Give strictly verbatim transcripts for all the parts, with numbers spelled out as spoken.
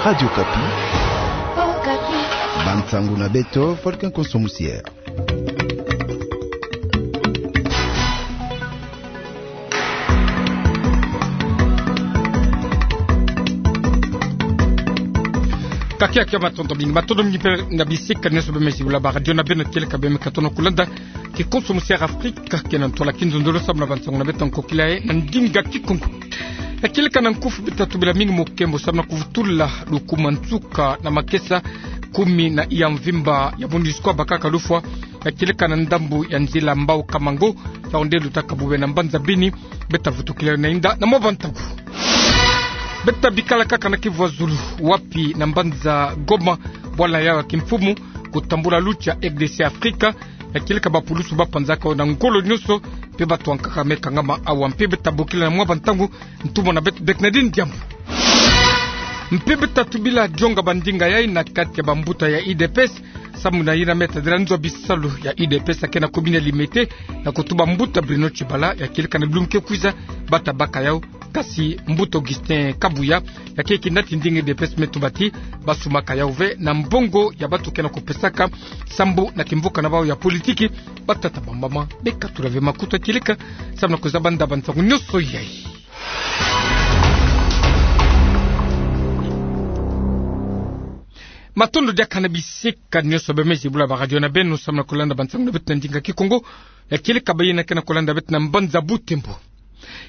Radio Okapi. Bansangu na beto, Volcan Konso Musiere. Kakia kia matondo mingi, matondo mingi mpe na bisika nyonso bemezibula baradio na beno, kieleka bemeka tona kulanda Kikonso Musiere Afrika, kiena ntwala kinzonzolo samu na bansangu na beto ya nkokila yayi na ndinga Kikongo. Ya kieleka na nkufi beta tubila mingi mukembo samu na kuvutula lukuma nsuka na makesa kumi na iya mvimba ya MONUSCO bakaka lufwa, ya kieleka na ndambu ya nzila Mbao Kamango, ya onde lutaka bube na mbanza Beni, beta vutukila na inda na mwa bantangu. Beta bikala kaka na Kivu ya Zulu, wapi na mbanza Goma, bwala yayi ya kimfumu, kutambula lucha R D C Afrika, ya kieleka bapulusu bapanzaka na ngolo nyonso, mpe bato ya nkaka me kangama awa, mpe beta bokila na mwa bantangu, ntumwa na beto Bernardine Diambu. Mpe beta tubila dionga bandinga yayi na kati ya bambuta ya U D P S, samu na yina me tadila nzo ya bisalu ya U D P S ya ke na commune ya Limete, na kutuba mbuta Bruno Tshibala, ya kieleka na bilumbu ke kwiza, bata baka yawu, kasi mbuta Augustin Kabuya, ya ke kinati ndinga U D P S me tuba ti, basumaka yawu ve na mbongo ya bato ke na kupesaka, sambu na kimvuka na bawu ya politiki, batata bambama, bekatula ve makutu ya kieleka, samu na kuzaba nda bansangu nyonso yayi. Matondo diaka na bisika nyonso bemezibula baradio na beno, samu na kulanda bansangu na beto na ndinga Kikongo, ya kieleka bayina ke na kulanda beto na mbanza Butembo.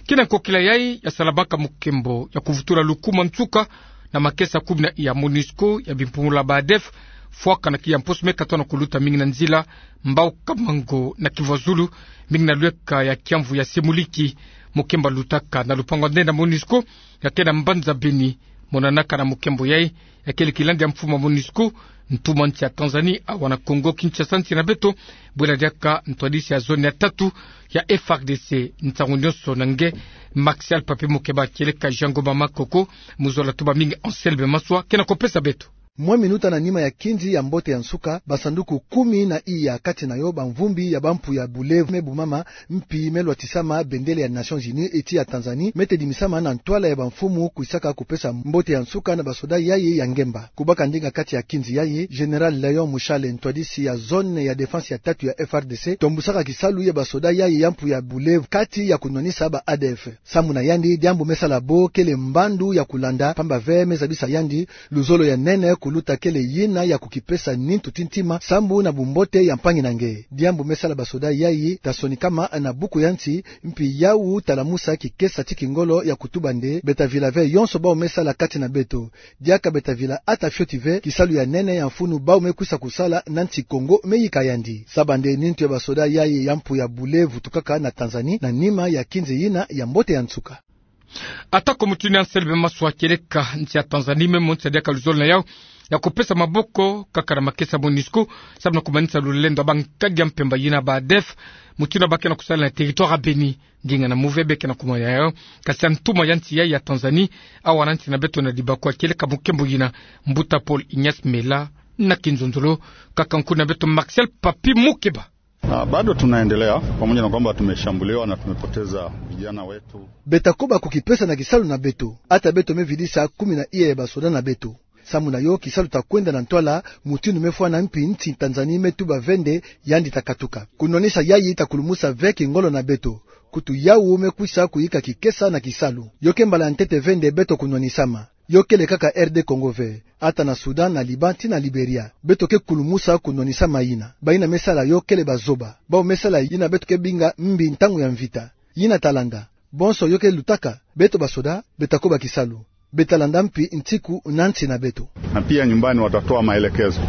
Kiena nkokila yayi ya salabaka mukembo ya kuvutula lukuma nsuka na makesa kumi na iya ya MONUSCO ya bimpumbulu ya ba ADF, fwaka na kiya mposo me katona kuluta mingi na nzila Mbao Kamango na Kivu ya Zulu, mingi na lweka ya kiamvu ya Semuliki, mukembo lutaka na lupangu ya nde na MONUSCO, ya ke na mbanza Beni, monanaka na mukembo yayi, ya kele kilandi ya mfumu ya MONUSCO, ntumwa nsi ya Tanzanie, awa na Kongo Kinshasa nsi na beto, bwela diaka ntwadisi ya zone ya tatu ya F R D C, nsangu nyonso na nge, Martial Papi Mukeba, kieleka Jean Ngoma Makoko, mu zola tuba mingi Anselme Maswa, ke na kupesa beto. Mwa minuta na nima ya kinzi ya mbote ya nsuka, basanduku kumi na iya, kati na yo bamvumbi ya bampu ya bulevu me bumama, mpi me lwatisama bendele ya Nations Unies, eti ya Tanzanie, me tedimisama na ntwala ya bamfumu kwisaka kupesa mbote ya nsuka na basoda yayi ya ngemba. Kubaka ndinga kati ya kinzi yayi, Général Léon Mushale, ntwadisi ya zone ya défense ya tatu ya F R D C, tombusaka kisalu ya basoda yayi ya mpu ya bulevu kati ya kunwanisa ba ADF. Samu na yandi, diambu me sala bo kele mbandu ya kulanda, pamba ve me zabisa yandi luzolo ya nene kuluta kele yina ya kukipesa nintu ti ntima, sambu na bumbote ya mpangi na nge. Diambu me sala basoda yayi ta sonikama na buku ya nsi, mpi yawu ta lamusa kikesa ti kingolo ya kutuba nde, beta vila ve yonso bawu me sala kati na beto. Diaka beta vila ata fioti ve kisalu ya nene ya mfunu bawu me kwisa kusala na nsi Kongo me yika yandi. Saba nde nintu ya basoda yayi ya mpu ya bulevu vutukaka na Tanzanie na nima ya kinzi yina ya mbote ya nsuka. Ata ko mutindu ya Anselme Maswa, kieleka nsi ya Tanzanie me monisa diaka luzolo na yawu ya kupesa maboko kaka na makesa MONUSCO, samu na kumanisa lulendo ya bankadi ya mpemba yina ba ADF, mutindu ba ke na kusala na territoire ya Beni. Ndinga na muve be ke na kumona yawu, kasi ya ntuma ya nsi yayi ya Tanzanie, awa na nsi na beto na dibako, kieleka mukembo yina, mbuta Paul Ignace Mela, na kinzonzolo, kaka nkuna beto Martial Papi Mukeba. Na bado tunaendelea, pamoja na kwamba tumeshambuliwa na tumepoteza vijana wetu. Beta koba kukipesa na kisalu na beto, ata beto me vidisa kumi na iya ya basoda na beto. Samu na yo kisalu ta kwenda na ntwala, mutindu me fwana, mpi nsi Tanzanie me tuba ve nde yandi ta katuka. Kunwanisa yayi ta kulumusa ve kingolo na beto. Kutu yawu me kwisa kuyika kikesa na kisalu. Yo ke mbala ya ntete ve nde beto kunwanisama. Yo kele kaka R D Congo ve, ata na Soudan, na Liban, ti na Liberia. Beto ke kulumusa kunwanisama yina. Bayina me sala yo kele bazoba. Bawu me sala yina beto ke binga mbi ntangu ya mvita. Yina ta landa. Bonso yo ke lutaka, beto basoda, beta koba kisalu. Beta landa mpi nsiku na nsi na beto. Na pia nyumbani watatoa maelekezo.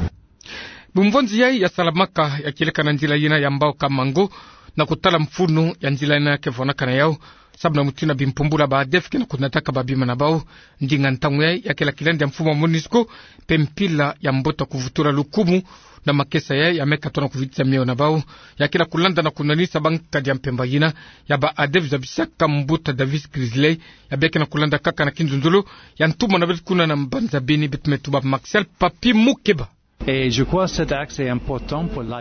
Bumvonzi yayi ya salamaka ya kieleka na nzila yina ya Mbao Kamango, na kutala mfunu ya nzila yina ke vwanaka na yawu, samu na mutindu bimpumbulu ya ba ADF ke na kunataka babima na bawu. Ndinga ntangu yayi ya kele kilandi ya mfumu ya MONUSCO, mpe mpila ya mbote kuvutula lukumu na makesa yayi ya me katona kuvitisa miyo na bawu, ya kele kulanda na kunwanisa bankadi ya mpemba yina ya ba ADF, zabisaka mbuta Davis Grizzly, ya be ke na kulanda kaka na kinzonzolo ya ntumwa na beto kuna na mbanza Beni, beto me tuba Martial Papi Mukeba.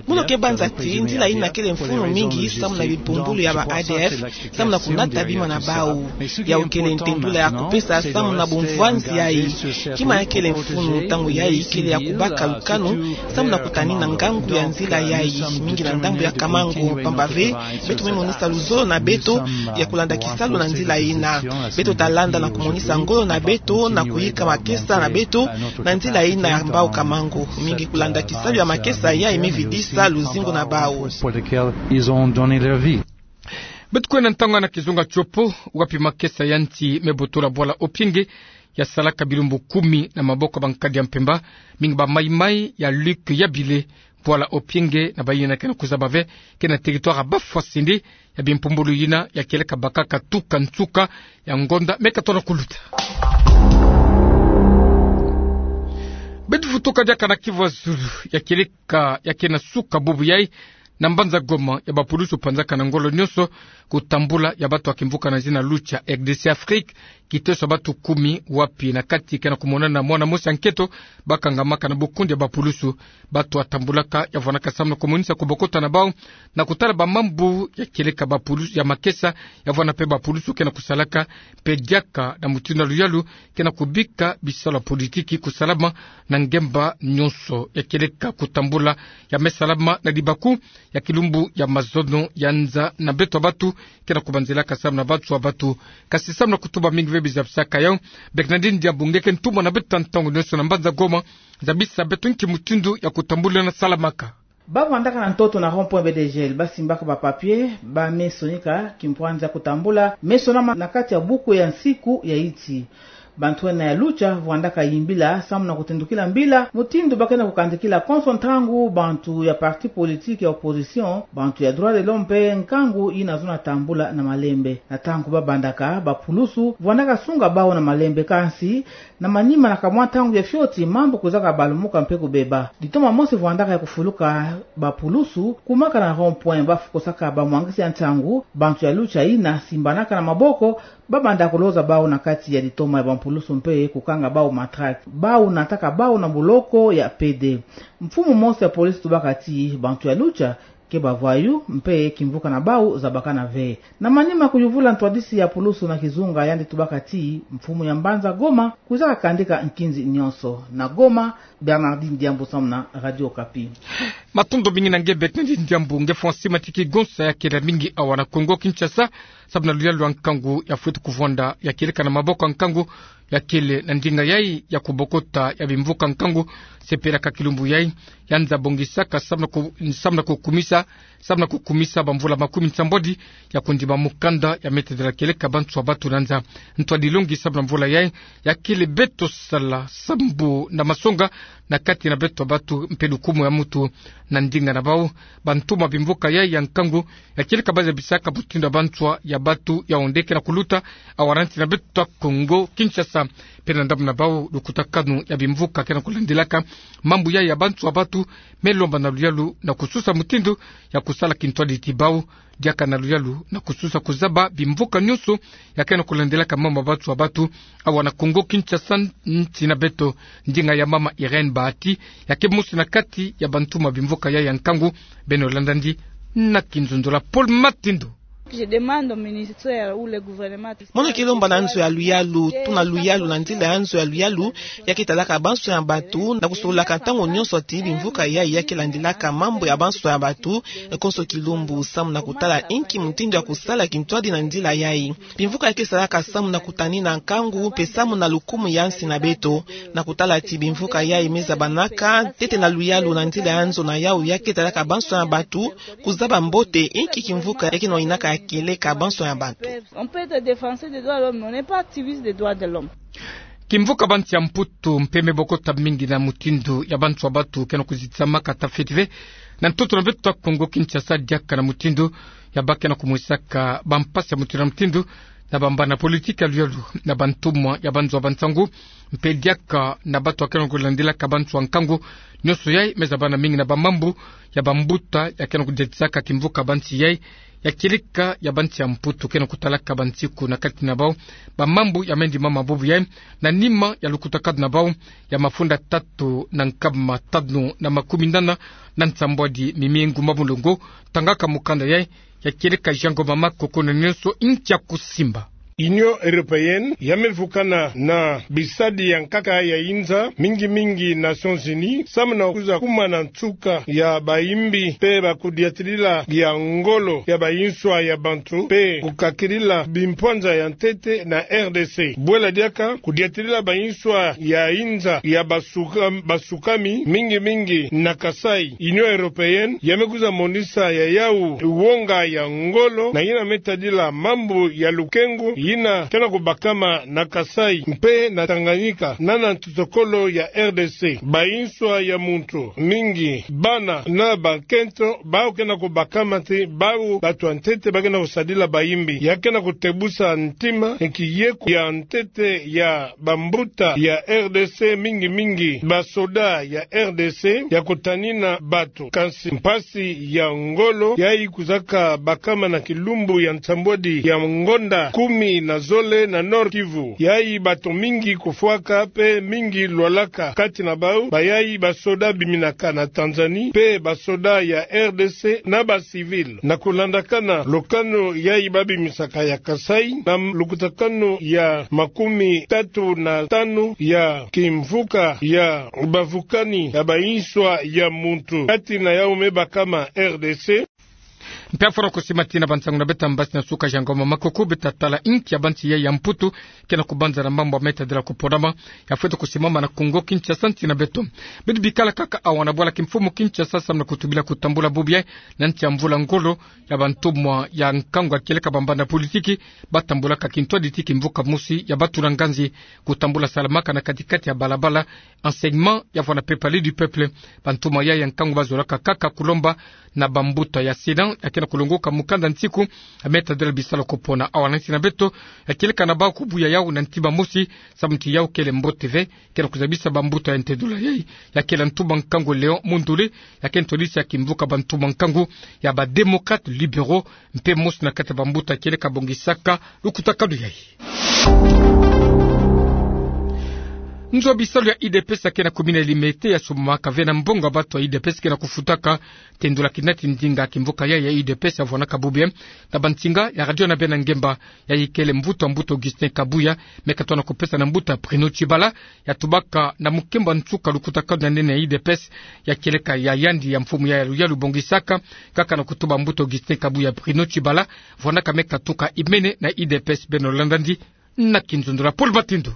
Mono ke banza ti nzila ina kele mfunu mingi samu na bipumbulu ya ba A D F, samu na kunata bima na bau. Yau kele ntendula ya kupesa samu na bumvwanzi yayi. Kima ya kele mfunu ntangu yayi kele ya kubaka lukanu samu na kutanina ngangu ya nzila yayi, mingi na ndambu ya Kamango, mpamba ve beto me monisa luzolo na beto ya kulanda kisalu na nzila ina. Beto ta landa na kumonisa ngolo na beto na kuyika makesa na beto na nzila ina ya mbau Kamango. Mingi kulanda kisalu ya makesa yayi me vidisa luzingu na bau. Beto kwenda ntangu na kizunga tiopo, wapi makesa ya nti me botola bwala Opienge ya salaka bilumbu kumi na maboko ya bankadi ya mpemba, mingi ba maimai ya Luc Yabile, bwala Opienge na bayina ke na kuzaba ve, ke na territoire ya Bafwasende, ya bimpumbulu yina ya kieleka bakaka tuka nsuka ya ngonda me kato na kuluta. Beto vutuka diaka na Kivu ya Zulu, ya kieleka, ya ke na suka bubu yayi, na mbanza Goma, ya bapulusu panzaka na ngolo nionso kutambula ya bato ya kimvuka na zina Lucha, R D C Afrique, kiteso ya bato kumi, wapi na kati ke na kumonana mwana mosi ya nketo, bakangamaka na bukundi ya bapulusu. Bato ya tambulaka ya vwanaka samu na kumonisa kubokota na bau na kutala bamambu ya kieleka bapulusu ya makesa, ya vwana mpe bapulusu ke na kusalaka, mpe diaka na mutindu ya luyalu ke na kubika bisalu ya politiki kusalama na ngemba nionso. Ya kieleka kutambula ya me salama na libaku ya kilumbu ya mazono ya nza na beto ya bato ke na kubanzilaka samu na bato ya bato. Kasi samu na kutuba mingi ve bizabisaka yau, Bernardine Diambu nge ke ntumwa na beto ya ntangu nionso na mbanza Goma, zabisa beto nki mutindu ya kutambula na salamaka. Ba vwandaka na ntoto na rond-point B D G L, ba simbaka ba papier, ba me sonika kimpwanza kutambula, me sonama na kati ya buku ya nsiku ya iti. Bantu ena ya Lucha vwandaka yimbila samu na kutendukila mbila mutindu ba ke na kukandikila konso ntangu bantu ya parti politique ya opposition, bantu ya droit de l'homme mpe nkangu yina zona tambula na malembe. Na ntangu ba bandaka, bapulusu vwandaka sunga bau na malembe, kansi na manima na kamwa ntangu ya fioti, mambu kwizaka balumuka mpe kubeba. Litoma mosi vwandaka ya kufuluka bapulusu, kumaka na rond-point, ba fukosaka bamwangisi ya ntangu, bantu ya Lucha yina simbanaka na maboko, ba banda kuloza bau na kati ya litoma ya bampulusu mpe kukanga bau matraque. Bau nataka bau na boloko ya P D. Mfumu mosi ya police tubaka ti bantu ya Lucha ke ba voyous mpe kimvuka na bau zabakana ve. Na manima kuyuvula ntwadisi ya pulusu na kizunga, yandi tubaka ti mfumu ya mbanza Goma kwizaka kandika nkinzi nionso. Na Goma, Bernardine Diambu samu na Radio Okapi. Matondo mingi na nge Bernardine Diambu. Nge François Matiki Gonsa, ya kele mingi awa na Kongo Kinshasa samu na luyalu ya nkangu ya fweti kuvwanda, ya kieleka na maboko ya nkangu ya kele na ndinga yayi ya kubokota ya bimvuka nkangu, sepelaka kilumbu yayi, ya nza bongisaka samu na ku-, samu na kukumisa, samu na kukumisa bamvula makumi nsambwadi ya kundima mukanda ya me tadila kieleka bantu ya batu na nza. Ntwadi longi samu na mvula yayi, ya kele beto sala sambu na masonga na kati na beto ya batu mpe lukumu ya mutu na ndinga na bau. Bantumwa bimvuka yayi ya nkangu, ya kieleka ba zabisaka mutindu ya bantu ya batu ya onde ke na kuluta awa na nsi na beto ya Kongo Kinshasa. Mpe na ndambu na bau, lukutakanu ya bimvuka ke na kulandilaka mambu yayi ya bantu ya batu, me lomba na luyalu na kususa mutindu ya kusala kintwadi ti bau, diaka na luyalu na kususa kuzaba bimvuka nionso ya ke na kulandilaka mambu ya bantu ya batu awa na Kongo Kinshasa, nsi na beto. Ndinga ya mama Irène Bahati, ya ke mosi na kati ya bantumwa bimvuka yayi ya nkangu, beno landa ndi na kinzonzolo. Paul Matindu. Je demande au ministère ou le gouvernement. Mono ke lomba na nzo ya luyalu, tuna luyalu na nzila ya nzo ya luyalu ya ke talaka banso ya batu, na kusololaka ntangu nionso ti bimvuka yayi ya ke landilaka mambu ya banso ya batu konso kilumbu, samu na kutala inki mutindu ya kusala kintwadi na nzila yayi. Bimvuka ya ke salaka samu na kutanina nkangu mpe samu na lukumu ya nsi na beto. Na kutala ti bimvuka yayi me zabanaka ntete na luyalu na nzila ya nzo na yawu ya ke talaka banso ya batu, kuzaba mbote inki kimvuka ya ke nwanaka ya kieleka banso ya batu. On peut être défenseur des droits de l'homme, mais on n'est pas activiste des droits de l'homme. Kimvuka bansi ya Mputu mpe me bokota mingi na mutindu ya bantu ya batu ke na kuzitamaka ta feti ve na ntoto na beto ya Kongo Kinshasa, diaka na mutindu ya ba ke na kumwisaka bampasi ya mutindu na mutindu na bambana politiki ya luyalu na bantumwa ya banzo ya bansangu, mpe diaka na batu ya ke na kulandilaka banso ya nkangu. Nionso yayi me zabana mingi na bamambu ya bambuta ya ke na kudiatisaka kimvuka bansi yayi Ya kieleka ya bansi ya Mputu ke na kutalaka bansiku na kati na bau, bamambu ya mendi mama bubu yai, na nima ya lukutakadu na bau, ya mafunda tatu na nkama tanu na makumi nana na nsambwadi mimi ngu ma mulongo, tangaka mukanda yai, ya kieleka Jean Ngoma Makoko na nionso ntia kusimba. Union Européenne ya me vukana na bisadi ya nkaka ya inza, mingi mingi Nations Unies, samu na kwiza kuma na nsuka ya bayimbi mpe bakudiatilila ya ngolo ya bayinswa ya bantu, mpe kukakilila bimpwanza ya ntete na R D C. Bwela diaka kudiatilila bayinswa ya inza ya basuka-, basukami, mingi mingi na Kasaï. Union Européenne ya me kwiza monisa ya yau wonga ya ngolo, na yina me tadila mambu ya lukengu yina ke na kubakama na Kasaï mpe na Tanganyika, na na ntotokolo ya R D C. Bayinswa ya muntu, mingi bana na bankento, bau ke na kubakama ti bau bato ya ntete ba ke na kusadila bayimbi. Ya ke na kutebusa ntima, nki yeko ya ntete ya bambuta ya R D C, mingi mingi basoda ya R D C, ya kutanina bato. Kansi mpasi ya ngolo yai kwizaka bakama na kilumbu ya nsambwadi ya ngonda kumi na zole na Nord-Kivu. Yai bato mingi kufwaka mpe mingi lwalaka, kati na bau bayai basoda biminaka na Tanzanie, mpe basoda ya R D C na bacivil. Na kulandakana lukanu yai babimisaka ya Kasaï, na lukutakanu ya makumi tatu na tanu ya kimvuka ya bavukani ya bayinswa ya muntu, kati na yau me bakama R D C. Mpe afwana kusima tina bansangu na beto ya mbasi na suka, Jean Ngoma Makoko, beto tala nki ya bansi yai ya Mputu ke na kubanza na mambu ya me tadila kuponama, ya fwete kusimama na Kongo Kinshasa, nsi na beto. Beto bikala kaka awa na bwala kimfumu Kinshasa, samu na kutubila kutambula bubu yai na nsi ya mvula ngolo ya bantumwa ya nkangu ya kieleka bambanda politiki, batambulaka kintwaditi kimvuka mosi ya batula nganzi, kutambula salamaka na kati-kati ya balabala, enseignement ya vwana mpe Palais du Peuple. Bantumwa yai ya nkangu bazolaka kaka kulomba na bambuta ya Sénat, ya ke na kulongoka mukanda nsiku ya me tadila bisalu kupona. Awa na nsi na beto, ya kieleka na bau kubuya yau na ntima mosi, samu ti yau kele mbote ve, ke na kuzabisa bambuta ya ntedula yai, ya kele ntumwa nkangu Léon Mondule, ya ke ntwadisi ya kimvuka bantumwa nkangu ya ba Démocrates Libéraux, mpe mosi na kati ya bambuta ya kieleka bongisaka lukutakanu yai. Nzo bisalu ya U D P S ya ke na kumina Limete ya sumaka ve na mbongo ya bato ya U D P S ke na kufutaka, tendula kinati ndinga kimvuka yai ya U D P S ya vwanaka bubu yai na bansinga ya radio na bena ngemba. Yai kele mvutu a mbuta Augustin Kabuya, me katona kupesa na mbuta Bruno Tshibala, ya tubaka na mukemba nsuka lukutakanu ya nene ya U D P S, ya kieleka ya yandi ya mfumu ya yalu yalu bongisaka, kaka na kutuba mbuta Augustin Kabuya, Bruno Tshibala vwanaka me katuka imene na U D P S. Beno landa ndi na kinzonzolo. Paul Matindu.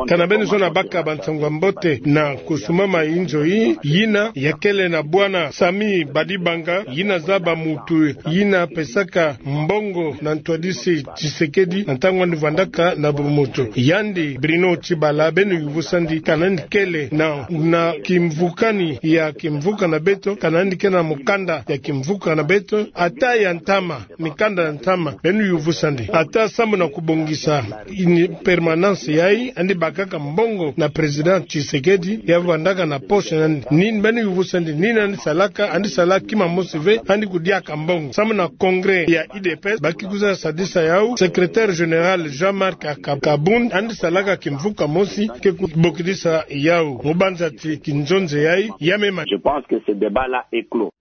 Kana beno zona baka bansangu ya mbote na kusumama inzo yi, yina ya kele na bwana Samy Badibanga, yina zaba muntu yina pesaka mbongo na ntwadisi Tshisekedi na ntangu andi vwandaka na bumoto. Yandi Bruno Tshibala, beno yuvusa ndi kana ndi kele na, na kimvukani ya kimvuka na beto, kana ndi kele na mukanda ya kimvuka na beto, ata ya ntama, mikanda ya ntama, beno yuvusa ndi. Ata samu na kubongisa ini permanence yai, andi bakaka mbongo na Président Tshisekedi, ya vwandaka na poche na ndi. Nini beno yuvusa ndi, nini andi salaka? Andi sala kima mosi ve, andi kudiaka mbongo. Samu na congrès ya U D P S, ba ki kwiza sadisa yau, secrétaire général Jean-Marc Aka-, Kabund, andi salaka kimvuka mosi, ke kubokidisa yau. Mu banza ti kinzonzolo yai, ya me ma. Je pense que ce débat-là est clos.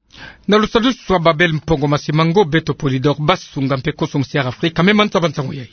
Na lusadusu wa Babel Mpongo Masimango, beto Polydor Basunga mpe Koso Musiara Afrika, me mansa bansangu yai.